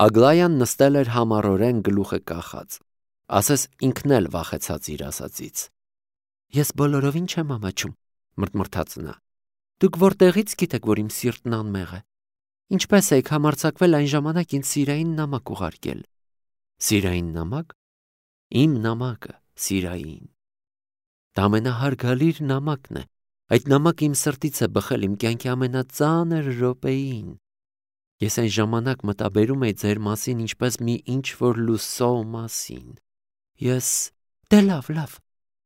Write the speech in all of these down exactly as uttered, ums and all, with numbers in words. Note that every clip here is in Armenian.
Ագլայան նստել էր համառորեն գլուխը կախած, ասես ինքն էլ վախեցած իր ասածից։ Ես բոլորովին չեմ ամաչում, մրթմրթաց նա։ Դուք որտեղից գիտեք, որ իմ սիրտն անմեղ է։ Ինչպես եք համարձակվել այն ժամանակ ինձ սիրային նամակ ուղարկել։ Սիրային նամակ։ Իմ նամակը սիրային։ Դա ամենահարգալիր նամակն է։ Այդ նամակը իմ սրտից է բխել իմ կյանքի ամենածանր րոպեին։ Ես այն ժամանակ մտաբերում էի ձեր մասին ինչպես մի ինչ-որ լուսո մասին։ Ես… Դե լավ, լավ,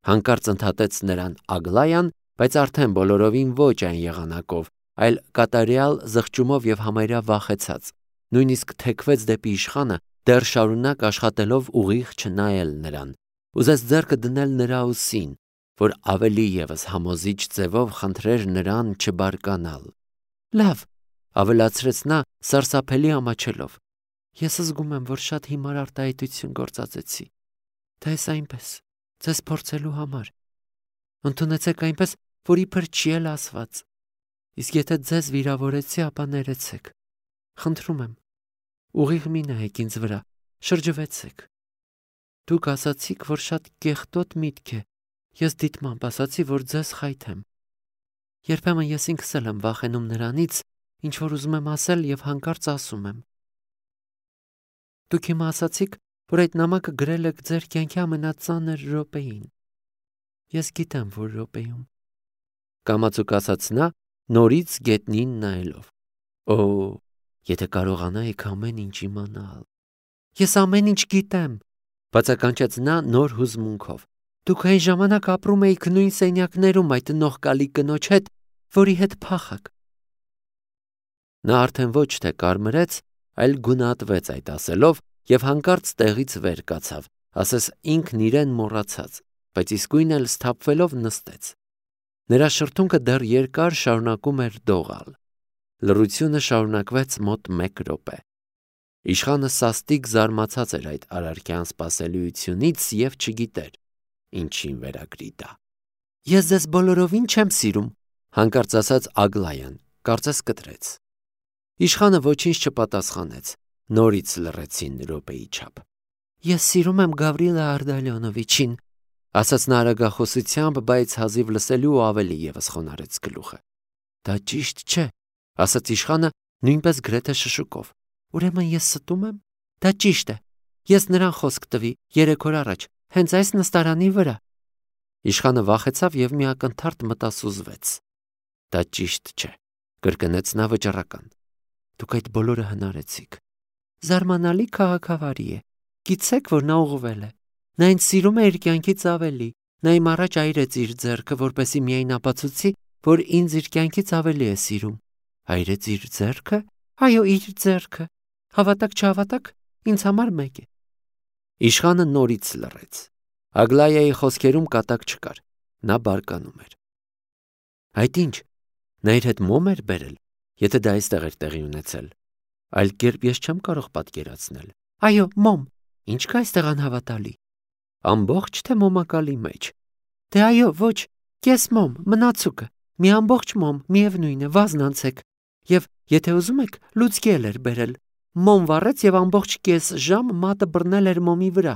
հանկարծ ընդհատեց նրան Ագլայան, բայց արդեն բոլորովին ոչ այն եղանակով, այլ կատարյալ զղջումով եւ համարյա վախեցած, նույնիսկ թեքվեց դեպի իշխանը, դեռ շարունակ աշխատելով ուղիղ չնայել նրան, ուզեց ձեռքը դնել նրա ուսին, որ ավելի եւս համոզիչ ձևով խնդրեր նրան չբարկանալ։ Լավ, ավելացրեց նա սարսափելի ամաչելով։ Ես զգում եմ, որ շատ հիմար արտահայտություն գործածեցի։ Դա էս այնպես, ձեզ փորձելու համար։ Ընդունեցեք այնպես, որ իբր չի էլ ասված։ Իսկ եթե ձեզ վիրավորեցի, ապա ներեցեք։ Խնդրում եմ, ուղիղ մի նայեք ինձ վրա, շրջվեցեք։ Դուք ասացիք, որ շատ կեղտոտ միտք է։ Ես դիտմամբ ասացի, որ ձեզ խայթեմ։ Երբեմն ես ինքս էլ եմ վախենում նրանից, ինչ որ ուզում եմ ասել եւ հանկարծ ասում եմ։ Դուք հիմա ասացիք, որ այդ նամակը գրել եք ձեր կյանքի ամենածանր րոպեին։ Ես գիտեմ, որ րոպեում։ Կամացուկ ասաց նա, նորից գետնին նայելով։ Օ, եթե կարողանայիք ամեն ինչ իմանալ։ Ես ամեն ինչ գիտեմ, բացականչեց նա նոր հուզմունքով։ Դուք այն ժամանակ ապրում էիք նույն սենյակներում այդ նողկալի կնոջ հետ, որի հետ փախաք։ Նա արդեն ոչ թե կարմրեց, այլ գունատվեց այդ ասելով եւ հանկարծ տեղից վեր կացավ, ասես ինքն իրեն մոռացած, բայց իսկույն էլ սթափվելով նստեց։ Նրա շրթունքը դեռ երկար շարունակում էր դողալ։ Լռությունը շարունակվեց մոտ մեկ րոպե։ Իշխանը սաստիկ զարմացած էր այդ արարքյան սպասելիությունից եւ չգիտեր ինչին վերագրի դա։ Ես ձեզ բոլորովին չեմ սիրում, հանկարծ ասաց Ագլայան, կարծես կտրեց։ Իշխանը ոչինչ չպատասխանեց, նորից լռեցին րոպեի չափ։ Ես սիրում եմ Գավրիլա Արդալյոնովիչին, ասաց նա արագախոսությամբ, բայց հազիվ լսելու ու ավելի եւս խոնարհեց գլուխը։ Դա ճիշտ չէ, ասաց իշխանը նույնպես գրեթե շշուկով։ Ուրեմն ես ստում եմ։ Դա ճիշտ է։ Ես նրան խոսք տվի երեք օր առաջ, հենց այս նստարանի վրա։ Իշխանը վախեցավ եւ մի ակնթարթ մտասուզվեց։ Դա ճիշտ չէ, կրկնեց նա վճռական։ Դուք այդ բոլորը հնարեցիք։ Զարմանալի քաղաքավարի է։ Գիտեք, որ նա ուղղվել է։ Նա ինձ սիրում է իր կյանքից ավելի։ Նա իմ առաջ այրեց իր ձեռքը, որպեսզի միայն ապացուցի, որ ինձ իր կյանքից ավելի է սիրում։ Այրեց իր ձեռքը։ Այո, իր ձեռքը։ Հավատաք չհավատաք, ինձ համար մեկ է։ Իշխանը նորից լռեց։ Ագլայայի խոսքերում կատակ չկար։ Նա բարկանում էր։ Այդ ինչ, նա իր հետ մոմ էր բերել, եթե դա այստեղ էր տեղի ունեցել։ Այլ կերպ ես չեմ կարող պատկերացնել։ Այո, մոմ։ Ինչ կա այստեղ անհավատալի։ Ամբողջ թե մոմակալի մեջ։ Դե այո, ոչ, կես մոմ, մնացուկը, մի ամբողջ մոմ, միևնույն է, վազնանցեք։ Եվ եթե ուզում եք, լուցկի էլ էր բերել։ Մոմ վառեց եւ ամբողջ կես ժամ մատը բռնել էր մոմի վրա։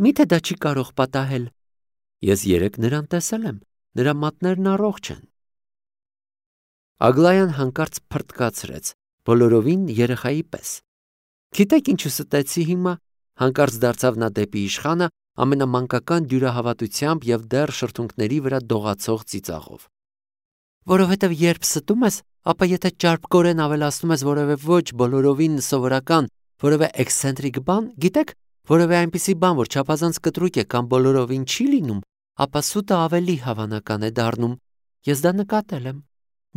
Միթե դա չի կարող պատահել։ Ես երեք նրան տեսել եմ, նրա մատներն առողջ են։ Ագլայան հանկարծ փրտկացրեց, բոլորովին երեխայի պես։ Գիտեք ինչու ստեցի հիմա, հանկարծ դարձավ նա դեպի իշխանը ամենամանկական դյուրահավատությամբ եւ դեռ շրթունքների վրա դողացող ծիծաղով։ Որովհետեւ երբ ստում ես, ապա եթե ճարպկորեն ավելացնում ես որևէ ոչ բոլորովին սովորական, որևէ էքսցենտրիկ բան, գիտեք, որևէ այնպիսի բան, որ չափազանց կտրուկ է կամ բոլորովին չի լինում, ապա սուտը ավելի հավանական է դառնում։ Ես դա նկատել եմ։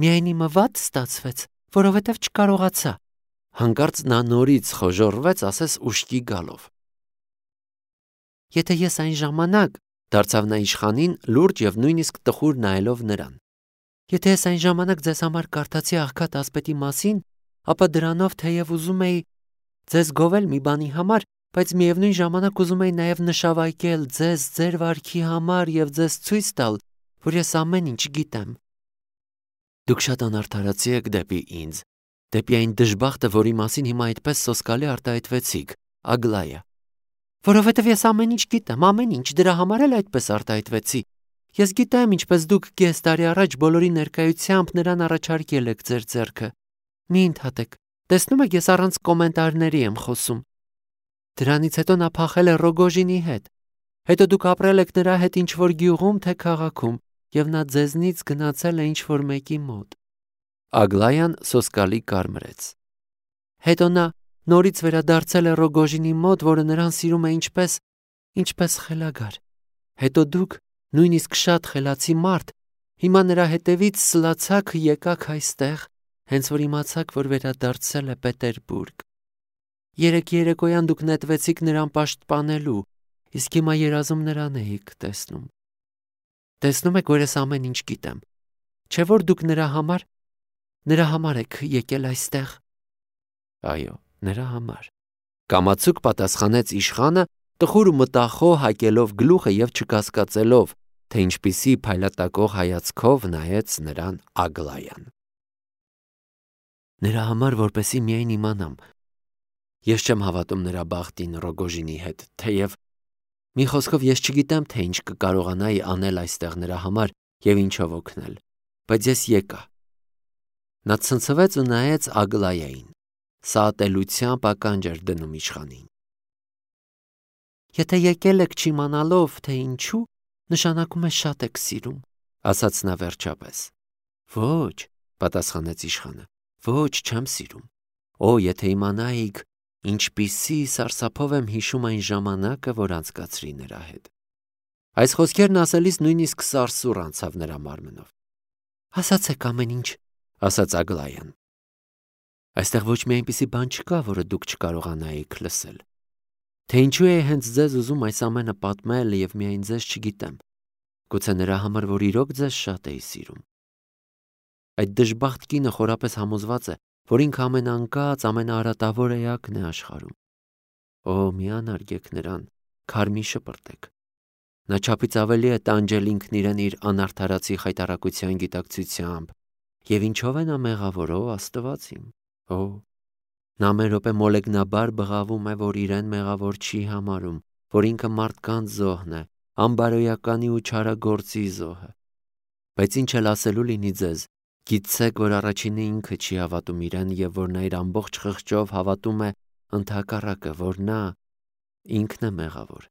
Միայն իմը վատ ստացվեց, որովհետև չկարողացա։ Հանկարծ նա նորից խոժոռվեց, ասես ուշքի գալով։ Եթե ես այն ժամանակ, դարձավ նա իշխանին լուրջ եւ նույնիսկ տխուր նայելով նրան։ Եթե ես այն ժամանակ ձեզ համար կարդացի աղքատ ասպետի մասին, ապա դրանով թեև ուզում էի ձեզ գովել մի բանի համար, բայց միևնույն ժամանակ ուզում էի նաև նշավայկել ձեզ ձեր վարքի համար եւ ձեզ ցույց տալ, որ ես ամեն ինչ գիտեմ։ Դուք շատ անարդարացի եք դեպի ինձ, Դեպի այն դժբախտը, որի մասին հիմա այդպես սոսկալի արտահայտվեցիք, Ագլայա։ Որովհետև ես ամեն ինչ գիտեմ, ամեն ինչ, դրա համար էլ այդպես արտահայտվեցի։ Ես գիտեմ, ինչպես դուք կես տարի առաջ բոլորի ներկայությամբ նրան առաջարկել եք ձեր ձեռքը։ Մի ընդհատեք, տեսնում եք, ես առանց կոմենտարների եմ խոսում։ Դրանից հետո նա փախել է Ռոգոժինի հետ։ Հետո դուք ապրել եք նրա հետ ինչ-որ գյուղում, թե քաղաքում, եւ նա ձեզնից գնացել է ինչ-որ մեկի մոտ։ Ագլայան սոսկալի կարմրեց։ Հետո նա նորից վերադարձել է Ռոգոժինի մոտ, որը նրան սիրում է ինչպես, ինչպես խելագար։ Հետո դուք, նույնիսկ շատ խելացի մարդ, հիմա նրա հետևից սլացաք եկաք այստեղ, հենց որ իմացաք, որ վերադարձել է Պետերբուրգ։ Երեք երեկոյան դուք նետվեցիք նրան պաշտպանելու, իսկ հիմա երազում նրան էիք տեսնում։ Տեսնում եք, որ ես ամեն ինչ գիտեմ։ Չէ՞ որ դուք նրա համար, նրա համար եք եկել այստեղ։ Այո, նրա համար։ Կամացուկ պատասխանեց իշխանը, տխուր ու մտախոհ հակելով գլուխը եւ չկասկածելով, թե ինչպիսի փայլատակող հայացքով նայեց նրան Ագլայան։ Նրա համար, որպեսի միայն իմանամ։ Ես չեմ հավատում նրա բախտին Ռոգոժինի հետ, թեև մի խոսքով ես չգիտեմ, թե ինչ կկարողանայի անել այստեղ նրա համար եւ ինչով օգնել, բայց ես եկա։ Նա ցնցվեց ու նայեց Ագլայային։ Սա ատելությամբ ականջ էր դնում իշխանին։ Եթե եկել եք չիմանալով, թե ինչու, նշանակում է շատ եք սիրում, ասաց նա վերջապես։ Ոչ, պատասխանեց իշխանը, ոչ, չեմ սիրում։ Օ, եթե իմանայիք, ինչպիսի սարսափով եմ հիշում այն ժամանակը, որ անցկացրի նրա հետ։ Այս խոսքերն ասելիս նույնիսկ սարսուռ անցավ նրա մարմնով։ Ասացեք ամեն ինչ, ասաց Ագլայան։ Այստեղ ոչ մի այնպիսի բան չկա, որը դուք չկարողանայիք լսել։ Թե ինչու է հենց ձեզ ուզում այս ամենը պատմել եւ միայն ձեզ չգիտեմ։ Գուցե նրա համար, որ իրոք ձեզ շատ էի սիրում։ Այդ դժբախտ կինը խորապես համոզված է, որ ինքը ամենանկած, ամենաարատավոր էակն է աշխարհում։ Օ, մի անարգեք նրան, քարմի շպրտեք։ Նա չափից ավելի է տանջել ինքն իրեն իր անարդարացի խայտարակության գիտակցությամբ, եւ ինչով է նա մեղավոր, ո Աստված իմ։ Օ, նա մեր րոպե մոլեգնաբար բղավում է, որ իրեն մեղավոր չի համարում, որ ինքը մարդկանց զոհն է, անբարոյականի ու չարագործի զոհը։ Բայց ինչ էլ ասելու լինի ձեզ, գիտեք, որ առաջինը ինքը չի հավատում իրեն եւ որ նա իր ամբողջ խղճով հավատում է ընդհակառակը, որ նա ինքն է մեղավոր։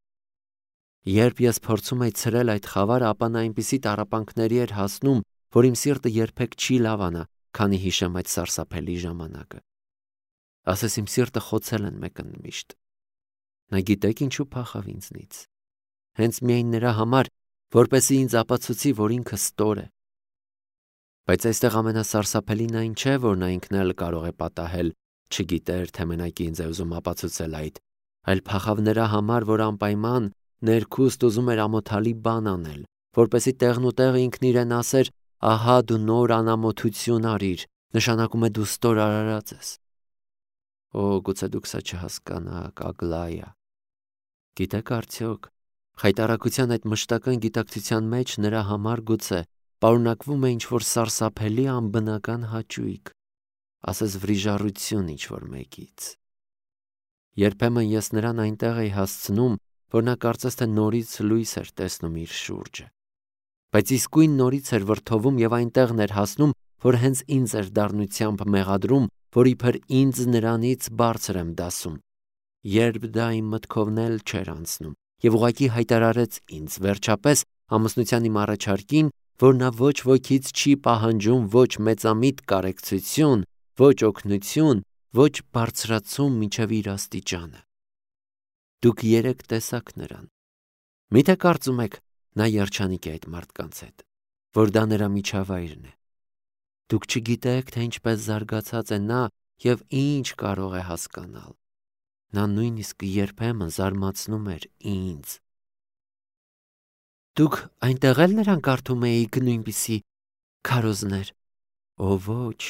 Երբ ես փորձում էի ցրել այդ խավարը, ապա նա այնպիսի տառապանքների էր հասնում, որ իմ սիրտը երբեք չի լավանա, քանի հիշեմ այդ սարսափելի ժամանակը։ Ասես իմ սիրտը խոցել են մեկընդմիշտ։ Նա գիտեք ինչու փախավ ինձնից։ Հենց միայն նրա համար, որպեսզի ինձ ապացուցի, որ ինքը ստոր է։ Բայց այստեղ ամենասարսափելին այն չէ, որ նա ինքն էլ կարող է պատահել, չգիտեր, թե մենակ ինձ է ուզում ապացուցել այդ, այլ փախավ նրա համար, որ անպայման ներքուստ ուզում էր ամոթալի բան անել, որպեսզի տեղնուտեղ ինքն իրեն ասեր, ահա դու նոր անամոթություն արիր, նշանակում է դու ստոր արարած ես։ Օ, գուցե դուք սա չհասկանաք, Ագլայա։ Գիտեք արդյոք, խայտարակության այդ մշտական գիտակցության մեջ նրա համար գուցե պարունակվում է ինչ-որ սարսափելի անբնական հաճույք, ասես վրիժառություն ինչ-որ մեկից։ Երբեմն ես նրան այնտեղ էի հասցնում, որ նա կարծես թե նորից լույս էր տեսնում իր շուրջը։ Բայց իսկույն նորից էր վրդովում եւ այնտեղն էր հասնում, որ հենց ինձ էր դառնությամբ մեղադրում, որ իբր ինձ նրանից բարձր եմ դասում։ Երբ դա իմ մտքովն էլ չէր անցնում եւ ուղղակի հայտարարեց ինձ վերջապես ամուսնության իմ առաջարկին, որ նա ոչ ոքից չի պահանջում ոչ մեծամիտ կարեկցություն, ոչ օգնություն, ոչ բարձրացում մինչև իր աստիճանը։ Դուք երեք տեսաք նրան։ Միթե կարծում եք, նա երջանիկ է այդ մարդկանց հետ, որ դա նրա միջավայրն է։ Դուք չգիտեք, թե ինչպես զարգացած է նա եւ ինչ կարող է հասկանալ։ Նա նույնիսկ երբեմն զարմացնում էր ինձ։ Դուք այնտեղ էլ նրան կարդում էիք նույնպիսի քարոզներ։ Ո ոչ,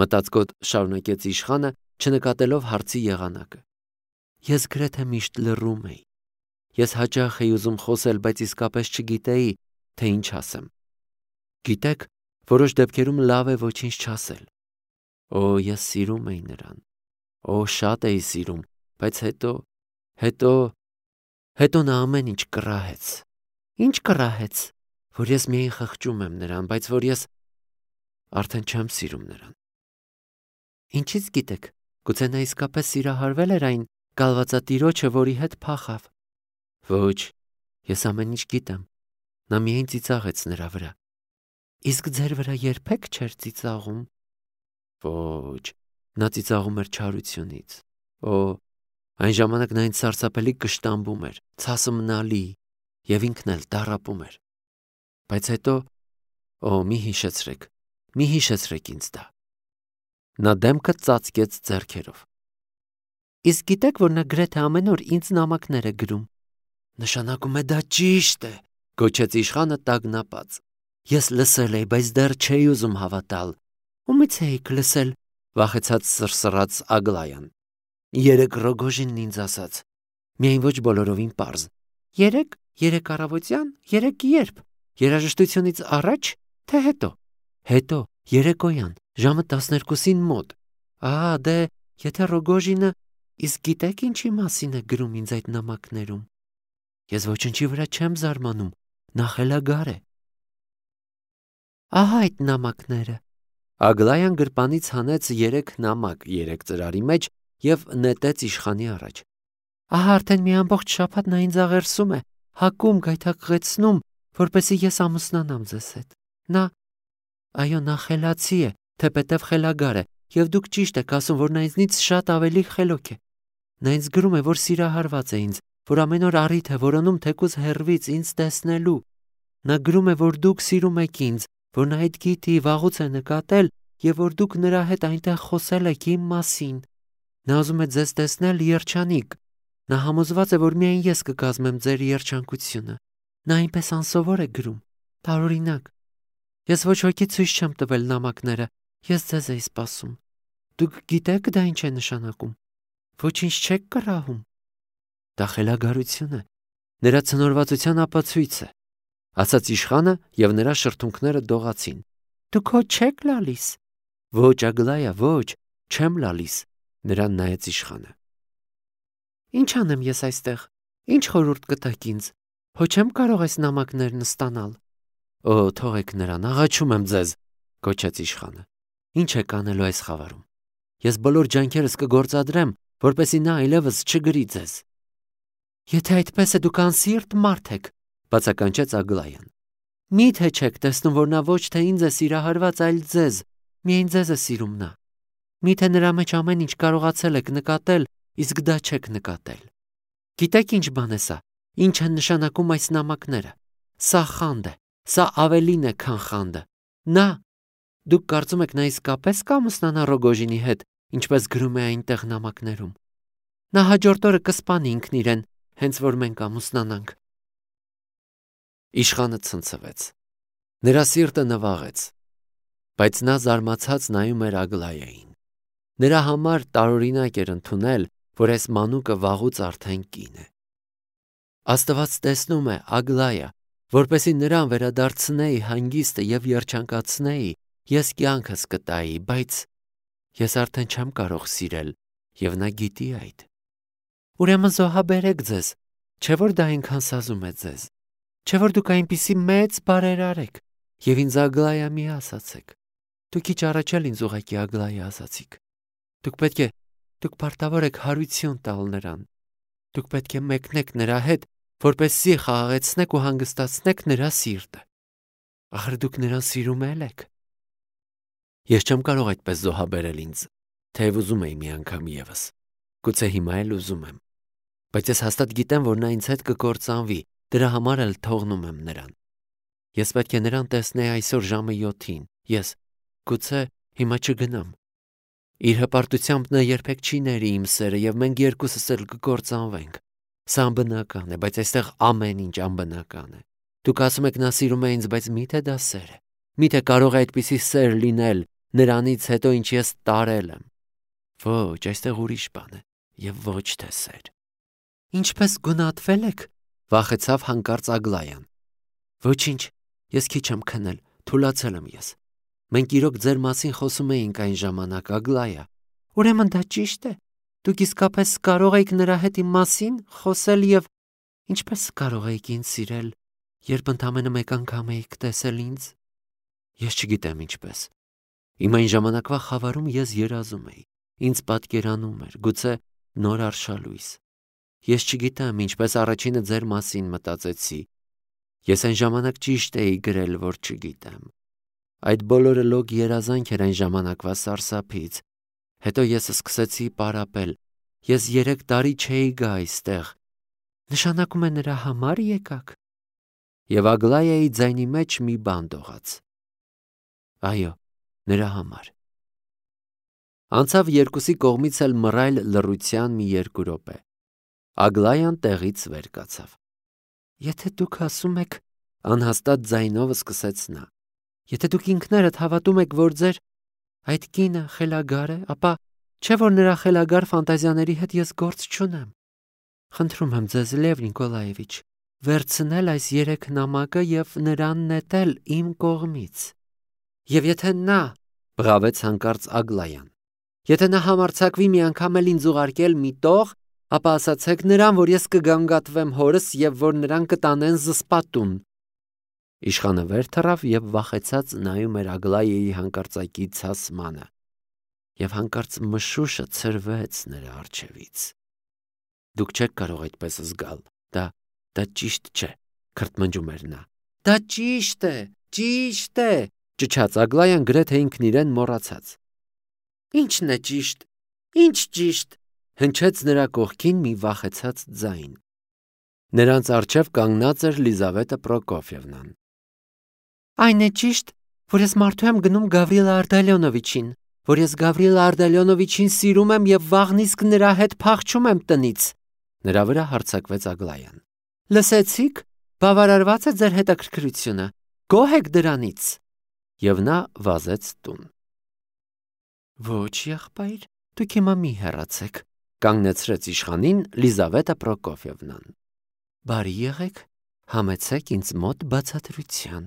մտածկոտ շարունակեց իշխանը, չնկատելով հարցի եղանակը։ Ես գրեթե միշտ լռում էի։ Ես հաճախ էի ուզում խոսել, բայց իսկապես չգիտեի, թե ինչ ասեմ։ Գիտեք, որոշ դեպքերում լավ է ոչինչ չասել։ Օ, ես սիրում էի նրան։ Օ, շատ էի սիրում, բայց հետո, հետո, հետո նա ամեն ինչ կռահեց։ Ինչ կռահեց, որ ես միայն խղճում եմ նրան, բայց որ ես արդեն չեմ սիրում նրան։ Ինչից գիտեք, գուցե նա իսկապես սիրահարվել էր այն կալվածատիրոջը, որի հետ փախավ։ Ոչ, ես ամեն ինչ գիտեմ։ Նա միայն ծիծաղեց նրա վրա։ Իսկ ձեր վրա երբեք չէր ծիծաղում։ Ոչ, նա ծիծաղում էր չարությունից։ Օ, այն ժամանակ նա ինձ սարսափելի կշտամբում էր, ցասմնալի, եւ ինքն էլ տառապում էր։ Բայց հետո, օ, մի հիշեցրեք, մի հիշեցրեք ինձ դա։ Նա դեմքը ծածկեց ձեռքերով։ Իսկ գիտեք, որ նա գրեթե ամեն օր ինձ նամակներ է գրում։ Նշանակում է դա ճիշտ է, գոչեց իշխանը տագնապած։ Ես լսել էի, բայց դեռ չէի ուզում հավատալ։ Ումից էիք լսել, վախեցած սրսռաց Ագլայան։ Երեք Ռոգոժինն ինձ ասաց։ Միայն ոչ բոլորովին պարզ։ Երեք, երեք առավոտյան, երեք երբ։ Երաժշտությունից առաջ, թե հետո։ Հետո, երեկոյան, ժամը տասներկուսին մոտ։ Ահա, դե, եթե Ռոգոժինը, իսկ գիտեք ինչի մասին է գրում ինձ այդ նամակներում։ Ես ոչնչի վրա չեմ զարմանում, նա խելագար է։ Ահա այդ նամակները։ Ագլայան գրպանից հանեց երեք նամակ երեք ծրարի մեջ եւ նետեց իշխանի առաջ։ Ահա արդեն մի ամբողջ շաբաթ նա ինձ աղերսում է, հակում, գայթակղեցնում, որպեսզի ես ամուսնանամ ձեզ հետ։ Նա, այո, նա խելացի է, թեպետև խելագար է, եւ դուք ճիշտ եք ասում, որ նա ինձնից շատ ավելի խելոք է։ Նա ինձ գրում է, որ սիրահարված է ինձ, որ ամեն օր առիթ է որոնում թեկուզ հեռվից ինձ տեսնելու։ Նա գրում է, որ դուք սիրում եք ինձ, որ նա այդ գիտի, վաղուց է նկատել, եւ որ դուք նրա հետ այնտեղ խոսել եք իմ մասին։ Նա ուզում է ձեզ տեսնել երջանիկ։ Նա համոզված է, որ միայն ես կկազմեմ ձեր երջանկությունը։ Նա այնպես անսովոր է գրում, տարօրինակ։ Ես ոչ ոքի ցույց չեմ տվել նամակները, ես ձեզ էի սպասում։ Դուք գիտեք դա ինչ է նշանակում։ Ոչինչ չեք կռահում։ Դա խելագարություն է, նրա ցնորվածության ապացույց է, ասաց իշխանը եւ նրա շրթունքները դողացին։ Դուք հո չեք լալիս։ Ոչ, Ագլայա, ոչ, չեմ լալիս, նրան նայեց իշխանը։ Ինչ անեմ ես այստեղ։ Ինչ խորհուրդ կտաք ինձ։ Հո չեմ կարող այս նամակներն ստանալ։ Օ, թողեք նրան, աղաչում եմ ձեզ, գոչեց իշխանը։ Ինչ եք անելու այս խավարում։ Ես բոլոր ջանքերս կգործադրեմ, որպեսզի նա այլևս չգրի ձեզ։ Եթե այդպես է, դուք անսիրտ մարդ եք, բացականչեց Ագլայան։ Մի՞թե չեք տեսնում, որ նա ոչ թե ինձ է սիրահարված, այլ ձեզ, միայն ձեզ է սիրում նա։ Մի՞թե նրա մեջ ամեն ինչ կարողացել եք նկատել, իսկ դա չեք նկատել։ Գիտեք ինչ բան է սա։ Ինչ են նշանակում այս նամակները։ Սա խանդ է, սա ավելին է, քան խանդը։ Նա, դուք կարծում եք նա իսկապես կամուսնանա Ռոգոժինի հետ, ինչպես գրում է այնտեղ նամակներում։ Նա հաջորդ օրը կսպանի ինքն իրեն, հենց որ մենք ամուսնանանք։ Իշխանը ցնցվեց։ Նրա սիրտը նվաղեց, բայց նա զարմացած նայում էր Ագլայային։ Նրա համար տարօրինակ էր ընդունել, որ այս մանուկը վաղուց արդեն կին է։ Աստված տեսնում է, Ագլայա, որպեսզի նրան վերադարձնեի հանգիստը եւ երջանկացնեի, ես կյանքս կտայի, բայց ես արդեն չեմ կարող սիրել, եւ նա գիտի այդ։ Ուրեմն զոհաբերեք ձեզ, չէ՞ որ դա այնքան սազում է ձեզ։ Չէ՞ որ դուք այնպիսի մեծ բարերար եք, եւ ինձ Ագլայա մի ասացեք։ Դուք քիչ առաջ էլ ինձ ուղղակի Ագլայա ասացիք։ Դուք պետք է, դուք պարտավոր եք հարություն տալ նրան։ Դուք պետք է մեկնեք նրա հետ, որպեսզի խաղաղեցնեք ու հանգստացնեք նրա սիրտը։ Ախր դուք նրան սիրում եք։ Ես չեմ կարող այդպես զոհաբերել ինձ, թեև ուզում էի մի անգամ եւս։ Գուցե հիմա էլ ուզում եմ։ Բայց ես հաստատ գիտեմ, որ նա ինձ հետ կկործանվի, դրա համար էլ թողնում եմ նրան։ Ես պետք է նրան տեսնեի այսօր ժամը յոթին։ Ես, գուցե, հիմա չգնամ։ Իր հպարտությամբ նա երբեք չի ների իմ սերը եւ մենք երկուսս էլ կկործանվենք։ Սա անբնական է, բայց այստեղ ամեն ինչ անբնական է։ Դուք ասում եք նա սիրում է ինձ, բայց միթե դա սեր է։ Միթե կարող է այդպիսի սեր լինել նրանից հետո, ինչ ես տարել եմ։ Ոչ, այստեղ ուրիշ բան է եւ ոչ թե սեր։ Ինչպես գունատվել եք, վախեցավ հանկարծ Ագլայան։ Ոչինչ, ես քիչ եմ քնել, թուլացել եմ ես։ Մենք իրոք ձեր մասին խոսում էինք այն ժամանակ, Ագլայա։ Ուրեմն դա ճիշտ է։ Դուք իսկապես կարող եք նրա հետ իմ մասին խոսել եւ ինչպես կարող եք ինձ սիրել, երբ ընդամենը մեկ անգամ եք տեսել ինձ։ Ես չգիտեմ ինչպես։ Իմ այն ժամանակվա խավարում ես երազում էի։ Ինձ պատկերանում էր, գուցե նոր արշալույս։ Ես չգիտեմ ինչպես առաջինը ձեր մասին մտածեցի։ Ես այն ժամանակ ճիշտ էի գրել, որ չգիտեմ։ Այդ բոլորը լոկ երազանք էր այն ժամանակվա սարսափից։ Հետո ես սկսեցի պարապել։ Ես երեք տարի չէի գա այստեղ։ Նշանակում է նրա համար եկաք։ Եվ Ագլայայի ձայնի մեջ մի բան դողաց։ Այո, նրա համար։ Անցավ երկուսի կողմից էլ մռայլ լռության մի երկու րոպե։ Ագլայան տեղից վեր կացավ։ Եթե դուք ասում եք, անհաստատ ձայնով սկսեց նա, եթե դուք ինքներդ հավատում եք, որ ձեր այդ կինը խելագար է, ապա չէ՞ որ նրա խելագար ֆանտազիաների հետ ես գործ չունեմ։ Խնդրում եմ ձեզ, Լև Նիկոլաևիչ, վերցնել այս երեք նամակը եւ նրան նետել իմ կողմից։ Եվ եթե նա, բղավեց հանկարծ Ագլայան, եթե նա համարձակվի մի անգամ էլ ինձ ուղարկել մի տող, ապա ասացեք նրան, որ ես կգանգատվեմ հորս եւ որ նրան կտանեն զսպատուն։ Իշխանը վեր թռավ եւ վախեցած նայում էր Ագլայայի հանկարծակի ցասմանը։ Եվ հանկարծ մշուշը ցրվեց նրա առջևից։ Դուք չեք կարող այդպես զգալ։ Դա դա ճիշտ չէ, քրթմնջում էր նա։ Դա ճիշտ է, ճիշտ է, ճչաց Ագլայան գրեթե ինքն իրեն մոռացած։ Ինչն է ճիշտ։ Ինչ ճիշտ։ Հնչեց նրա կողքին մի վախեցած ձայն։ Նրանց առջև կանգնած էր Լիզավետա Պրոկոֆիևնան։ Այն է ճիշտ, որ ես մարդու եմ գնում Գավրիել Արտալյոնովիչին, որ ես Գավրիել Արտալյոնովիչին սիրում եմ եւ վաղն իսկ նրա հետ փախչում եմ տնից։ Նրա վրա հարձակվեց Ագլայան։ Լսեցիք, բավարարված է ձեր հետաքրքրությունը։ Գոհ եք դրանից։ Եվ նա վազեց տուն։ Ոչ, եղբայր, դուք հիմա մի հեռացեք, կանգնեցրեց իշխանին Լիզավետա Պրոկոֆիևնան։ Բարի եղեք, համեցեք ինձ մոտ բացատրության։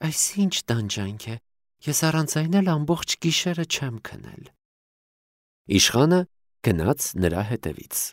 Այս ինչ տանջանք է, ես առանց այն էլ ամբողջ գիշերը չեմ քնել։ Իշխանը գնաց նրա հետևից։